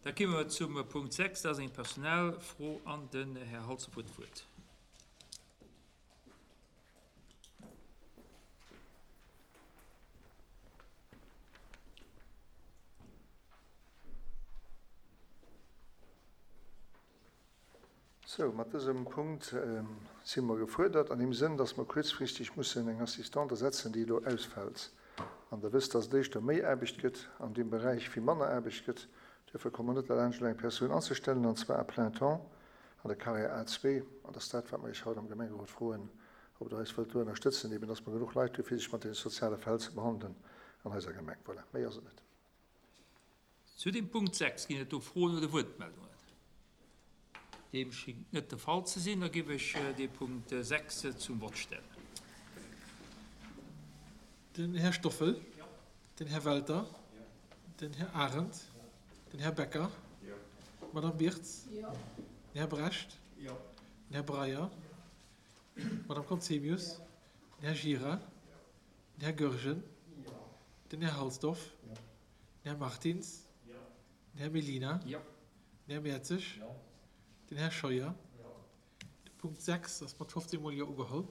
Da komme mer zum Punkt 6, dat ass eng Personalfro an den Här Halsdorf huet d'Wuert. Sou, mat dësem Punkt si mer gefuerdert an deem Sënn, dass mer kuerzfristeg mussen eng Assistante ersetzen, déi elo ausfält. An Der wësst, dass et éischter méi Aarbecht gëtt an deem Beräich wéi manner Aarbecht gëtt. Duerfir komme mer net derlaanscht, elo eng Persoun anzestellen, an zwar à plein temps an der Carrière A2. An dat ass dat, wat mer Iech haut am Gemengerot froen, ob Der eis wëllt do ënnerstëtzen, eben dass mer genuch Leit hu fir sech mat deene soziale Fäll ze behandelen an eiser Gemeng. Voilà, méi ass et net. Zu dem Punkt 6 ginn et do Froen oder Wuertmeldungen? Deem schingt net de Fall ze sinn. Da géif ech dee Punkt 6 zum Vott stellen. Den Här Stoffel. Den Här Welter. Den Här Arendt. Den Här Becker. D'Madame Birtz. Den Här Brecht. Den Här Breyer. D'Madame Conzemius. Den Här Gira. Den Här Goergen. Den Här Halsdorf. Den Här Martins. Den Här Mellina. Den Här Mertzig. Den Här Scheuer. De Punkt 6 ass mat 15 mol Jo ugeholl.